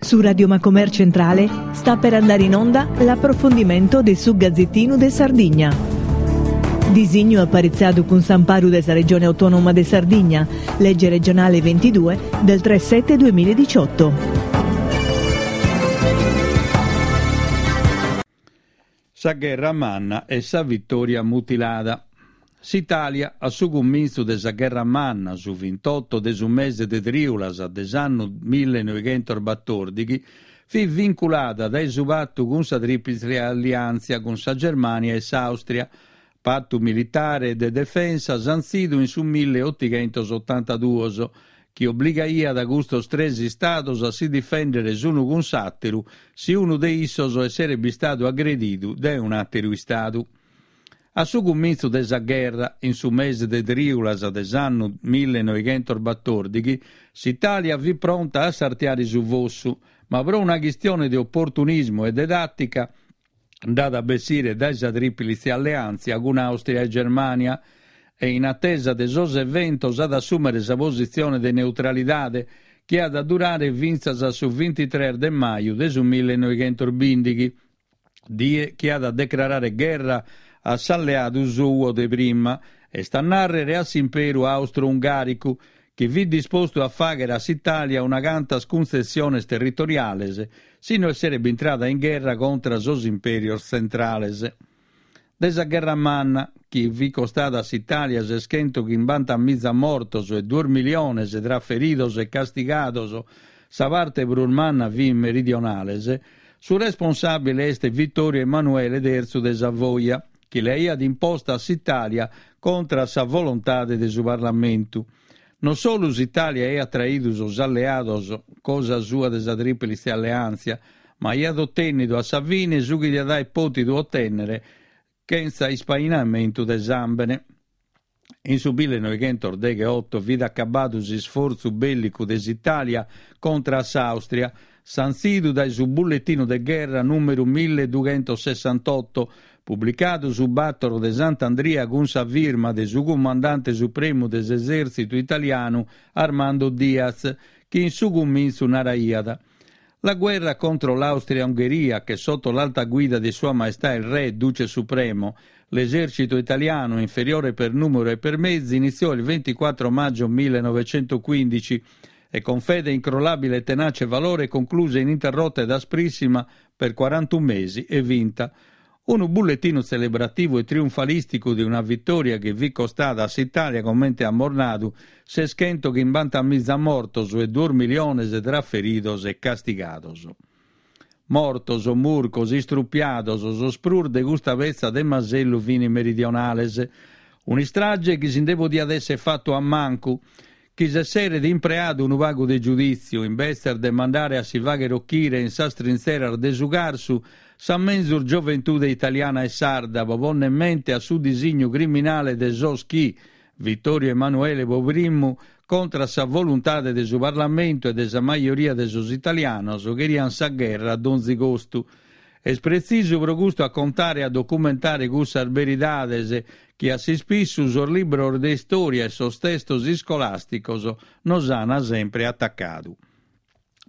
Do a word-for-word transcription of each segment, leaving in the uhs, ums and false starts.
Su Radio Macomer Centrale sta per andare in onda l'approfondimento de su Gazzettinu de Sardigna. Disignu aparitzadu cun s'amparu de sa Regione Autonoma de Sardigna, legge regionale ventidue del tre sette duemiladiciotto. Sa gherra manna e sa vitòria mutilada. S'Itàlia, a su cumintzu de sa Gherra Manna, su vintotto de su mese de trìulas de s'annu millenoghentos-batòrdighi, fit vinculada dae su patu cun sa Trìplice Alliàntzia cun sa Germània e s'Àustria, patu militare e de defensa santzidu in su milleotighentos-otantaduos, chi obligaiat custos tres istados a si difèndere s'unu cun s'àteru si unu de issos esseret bistadu agredidu dae un'àteru istadu. A su cumintzu de sa gherra, in su mese de trìulas de s'annu millenoghentos-batòrdighi, s'Itàlia fit pronta a sartiare su fossu, ma pro una chistione de oportunismu e de tàtica nd'at a bessire dae sa Trìplice Alleàntzia cun Àustria e Germània e in atesa de sos eventos at a assùmere sa positzione de neutralidade chi at a durare fintzas a su bintitrès de maju de su millenoghentos-bìndighi, die chi at a decrarare gherra a s'alleadu suo de prima, est a nàrrere a s'Imperu Austro-Ungàricu, chi fit dispostu a fàghere a s'Itàlia una cantas cuntzessiones territoriales si no esseret bintrada in gherra contra sos impèrios tzentrales. De sa Gherra Manna, chi fit costada a s'Itàlia seschentochimbanta miza mortos e duos miliones tra feridos e castigados, sa parte prus manna fin meridionales, su responsàbile est Vittorio Emanuele terzu de Savoia, chi l'aiat imposta a s'Itàlia contra a sa volontade de su Parlamentu. Non solu s'Itàlia aiat traidu sos alleados cosa sua de sa Trìplice Alleàntzia, ma aiat otènnidu a sa fine su chi diat aer pòtidu otènnere chentza ispainamentu de sàmbene. In su millenoghentos-degheoto fit acabadu s'isfortzu bèllicu de s'Itàlia contra a s'Àustria, santzidu dae su bulletinu de gherra nùmeru milledughentosessantotto, publicadu su bàtoro de Sant'Andria cun sa firma de su cumandante supremu de s'esèrtzitu italianu Armando Diaz, chi in su cumintzu naraiat La guerra contro l'Austria-Ungheria, che sotto l'alta guida di Sua Maestà il Re, Duce Supremo, l'esercito italiano, inferiore per numero e per mezzi, iniziò il ventiquattro maggio millenovecentoquindici e con fede incrollabile e tenace valore concluse ininterrotta ed asprissima per quarantuno mesi e vinta. Unu bullettinu celebrativu e triunfalisticu de una vitòria chi fit costada a s'Itàlia comente amus nadu seschentochimbanta miza mortos e duos miliones tra feridos e castigados. Mortos, murcos, istrupiados, sos prus de custa petza de masellu fin meridionales. Un'istrage chi si nde podiat esser fatu a mancu, chi s'esseret impreadu unu pagu de giudìtziu, imbetzes de mandare a si fàghere ochire in sas trintzeras de su Carsu sa menzus gioventude italiana e sarda pro pònnere mente a su disignu criminale de sos chi, Vittorio Emanuele pro primu, contra sa voluntade de su Parlamentu e de sa majoria de sos italianos, cherian sa gherra a donzi costu. Est pretzisu pro custu a contare e a documentare cussas beridades chi a s'ispissu sos libros de istòria e sos testos iscolàsticos nos an sempre atacadu.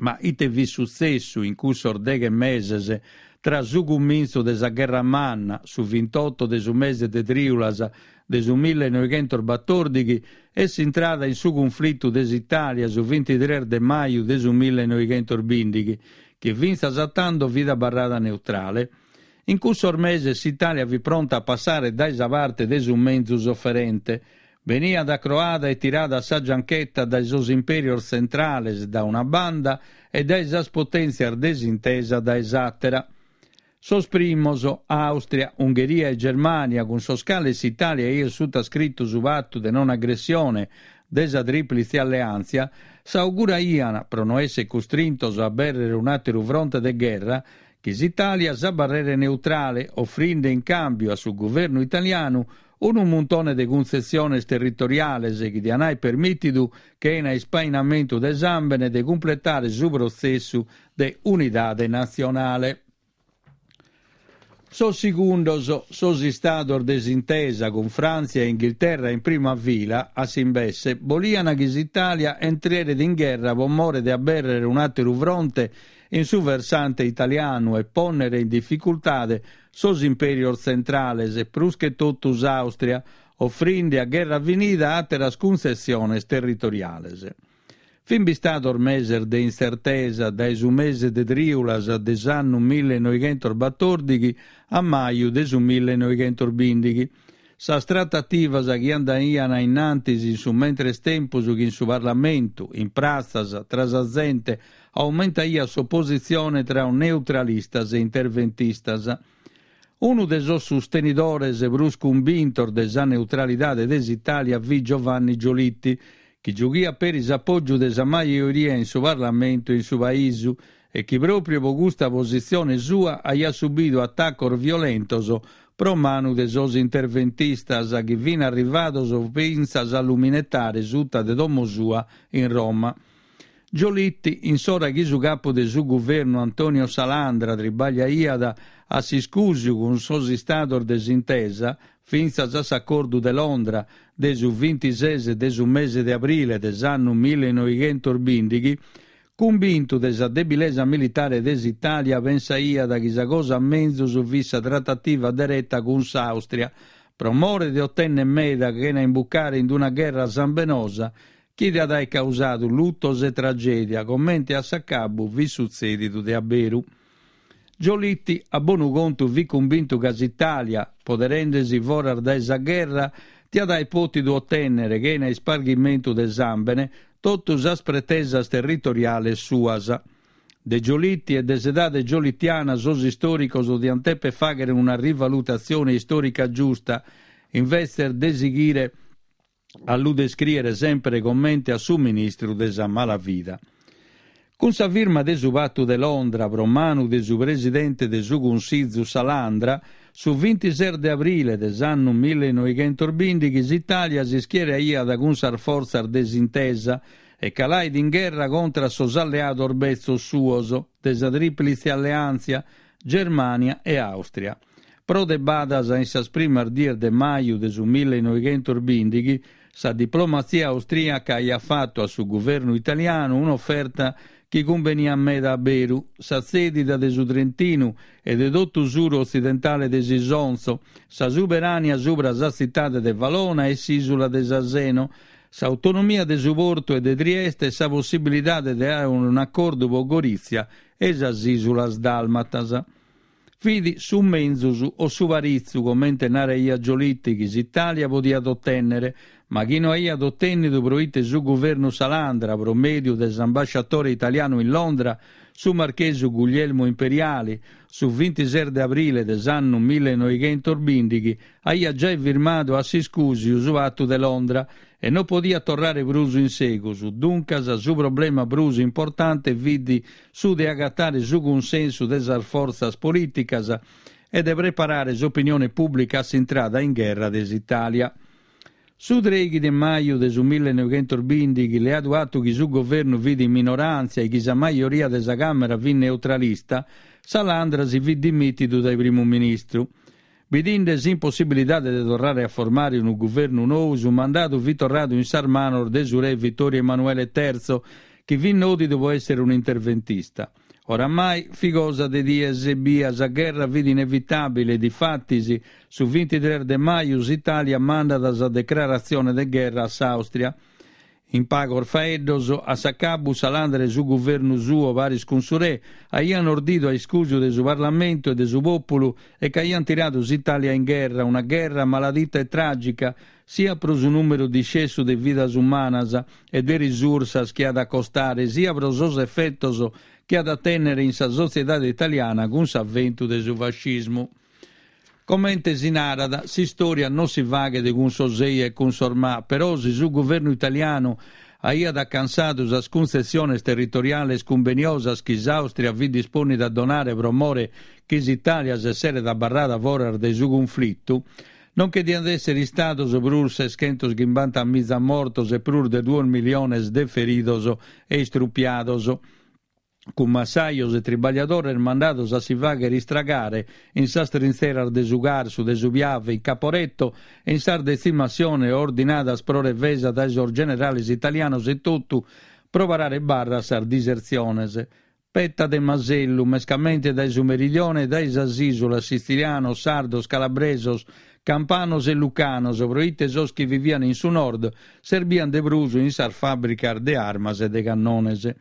Ma ite fit sutzessu in cussos deghe meses tra su cumintzu de sa Gherra Manna, su vintotto de su mese de trìulas de su millenoighentos-batòrdighi, e s'intrada in su cunflitu de s'Itàlia su vintitrès de maju de su millenoighentos-bìndighi, chi fintzas a tando fit abarrada neutrale? In cussos meses s'Itàlia fit pronta a passare dae sa parte de su menzus oferente. Beniat acroada e tirada a sa gianchetta dae sos impèrios tzentrales da una banda e dae sas potèntzias de s'intesa dae s'àtera. Sos primos, Àustria, Ungheria e Germània, cun sos cales s'Itàlia aiat sutascritu su patu de non agressione de sa Trìplice Alleàntzia, s'auguraian, pro no èssere custrintos a abèrrere un'àteru fronte de gherra, chi s'Itàlia s'abarreret neutrale, ofrinde in càmbiu a su guvernu italianu unu muntone de cuntzessiones territoriales chi dian aer permìtidu, chena ispainamentu de sàmbene, de cumpletare su protzessu de unidade natzionale. Sos segundos, sos istados de s'intesa cun Fràntzia e Inghilterra in prima fila, a s'imbesse, bolian chi s'Itàlia entreret in gherra pro more de abèrrere un'àteru fronte in su versante italianu e pònnere in dificultade sos impèrios tzentrales, prus che totu s'Àustria, ofrinde a gherra finida àteras cuntzessiones territoriales. Fin bistados meses de intzertesa, dae su mese de trìulas de s'annu millenoighentos batòrdighi a maju de su millenoighentos bìndighi. Sas tratativas chi andaian a in antis in su mentres tempus chi in su Parlamentu, in pratzas, tra sa zente, aumentaiat s'opositzione tra neutralistas e interventistas. Unu de sos sustenidores prus cumbintos de sa neutralidade de s'Itàlia fit Giovanni Giolitti, chi giughiat peri s'apògiu de sa majoria in su Parlamentu e in su Paisu e chi pròpriu pro custa positzione sua aiat subidu atacos violentos pro manu de sos interventistas chi fin arrivados fintzas a lu minetare suta de domo sua in Roma. Giolitti, in s'ora chi su capu de su guvernu Antonio Salandra tribagliaiat a s'iscùsiu cun sos istados de s'Intesa, fintzas a s'acordu de Londra de su bintises de su mese de abrile de s'annu millenoighentos bìndighi, cumbintu de sa debilesa militare de s'Itàlia pensaiat chi sa cosa menzus fit sa tratativa dereta cun s'Àustria, pro more de otènnere meda chena imbucare in una gherra sambenosa chi diat aer causadu lutos e tragèdia, comente a s'acabu fit sutzèdidu de a beru. Giolitti, a bonu contu, fit cumbintu ca s'Itàlia, poderende-si foras dae sa gherra, diat aer pòtidu otènnere, chena isparghimentu de sàmbene, totu sas pretesas territoriales suas. De Giolitti e de s'edade giolittiana sos istòricos diant dèpere fàghere una rivalutatzione istòrica giusta, invetzes de sighire a lu descrìere semper comente a su ministru de sa malavida. Cun sa firma de su Patu de Londra pro manu de su presidente de su Cunsizu Salandra, su bintises de abrile de s'annu millenoighentos bìndighi s'Itàlia s'ischieraiat cun sas fortzas de s'Intesa e calait in gherra contra sos alleados betzos suos de sa Trìplitze Alleàntzia, Germània e Àustria. Pro de badas in sas primas dies de maju de su millenoighentos bìndighi, sa diplomatzia austrìaca aiat fatu a su guvernu italianu un'oferta chi cumbeniat meda a beru, sa tzèdida de su Trentinu e de totu s'uru otzidentale de s'Isonzo, sa suberania subra sa tzitade de Valona e s'ìsula de Saseno, s'autonomia de su portu e de Trieste e sa possibilidade de àere un'acordu pro Gorìtzia e sas ìsulas dàlmatas. Fit su menzus o su paritzu, comente naraiat Giolitti, chi s'Itàlia podiat otènnere, ma chi no aiat otènnidu pro ite su guvernu Salandra, pro mèdiu de s'ambasciatore italianu in Londra, su marchesu Guglielmo Imperiali, su bintises de abrile de s'annu millenoighentos bìndighi, aiat giai firmadu a s'iscùsiu su Patu de Londra e non podiat torrare prus in segus. Duncas su problema prus importante fit su de agatare su cunsensu de sas fortzas polìticas e de preparare s'opinione pùblica a s'intrada in gherra de s'Itàlia. Su trèighi de maju de su millenoighentos bìndighi, leadu atu chi su governu fit in minoràntzia e chi sa majoria de sa Càmera fit neutralista, Salandra si fit dimìtidu dae primu ministru. Bidinde s'impossibilidade de torrare a formare unu guvernu nou, su mandadu fit torradu in sas manos de su re Vittorio Emanuele Terzo, chi fit nòdidu pro èssere un'interventista. Oramai fit cosa de dies ebbia, sa gherra fit inevitàbile, difatis, su bintitres de maju s'Itàlia mandat sa decraratzione de gherra a s'Àustria. In pagos faeddos, a s'acabu Salandra e su guvernu suo, paris cun su re, aiant ordidu a iscùsiu de su Parlamentu e de su pòpulu e ch'aiant tiradu s'Itàlia in gherra, una gherra maladita e tràgica, siat pro su nùmeru discessu de vidas umanas e de risursas chi at a costare, siat pro sos efetos chi at a tènnere in sa sotziedade italiana cun s'aventu de su fascismu. Comente si narat, s'istòria non si faghet cun sos ei e cun sos ma, però si su guvernu italianu aiat acansadu sas cuntzessiones territoriales cumbeniosas chi s'Àustria fit dispònnida a donare pro more chi s'Itàlia s'esseret abarrada foras de su cunflitu, non che diant èssere istados prus seschentos chimbanta miza mortos e prus de duos miliones de feridos e istrupiados, cun massajos e tribagliadores mandados a si fàghere istragare in sas trintzeras de su Carsu, de su Piave, in Caporetto e in sas detzimassiones ordinadas pro revesa dae sos generales italianos etotu pro parare barra a sas disertziones. Petta de masellu, mescamente dae su meridione e dae sas ìsulas, sitzilianos, sardos, calabresos, campanos e lucanos, proite sos chi vivian in su nord serbian de prus in sas fàbricas de armas e de cannones.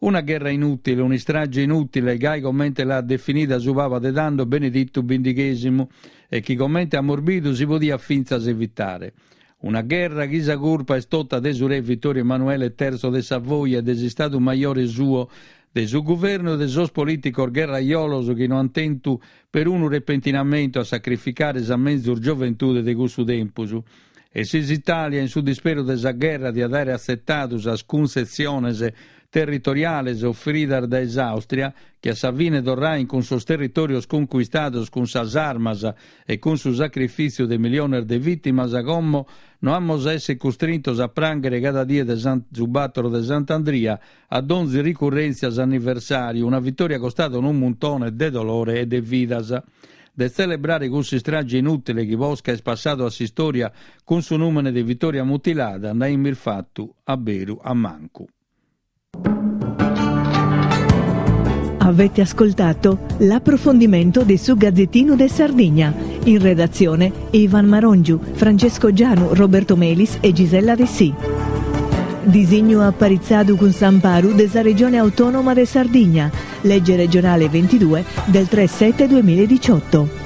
Una gherra inùtile, un'istrage inùtile, gai comente l'at definida su Paba de tando Beneditu bindighèsimu e chi comente amus bidu si podiat fintzas evitare. Una gherra chi sa curpa est tota de su re Vittorio Emanuele terzo de Savoia e de s'Istadu Majore suo, de su guvernu e de sos polìticos gherrajolos chi no ant tentu perunu repentinamentu a sacrificare sa menzus gioventude de cussu tempus. E si s'Itàlia in su disperu de sa gherra diat àere atzetadu sas cuntzessiones territoriales ofridas dae s'Àustria, chi a sa fine torrain cun sos territòrios concuistados cun sas armas e cun su sacrifìtziu de miliones de vìtimas, como no amus a èssere custrintos a prànghere cada die de su bàtoro de Sant'Andria a donzi ricurrèntzia s'anniversàriu, una vitòria costada unu muntone de dolore e de vidas. De tzelebrare cuss'istrage inùtile chi posca est passadu a s'istòria cun su nùmene de Vitòria Mutilada, nd'aimis fatu a beru a mancu. Avete ascoltato l'approfondimento di su Gazzettino de Sardigna. In redazione Ivan Marongiu, Francesco Gianu, Roberto Melis e Gisella Dessì. Disignu aparitzadu cun s'amparu de sa Regione Autonoma de Sardigna, legge regionale ventidue del tre sette duemiladiciotto.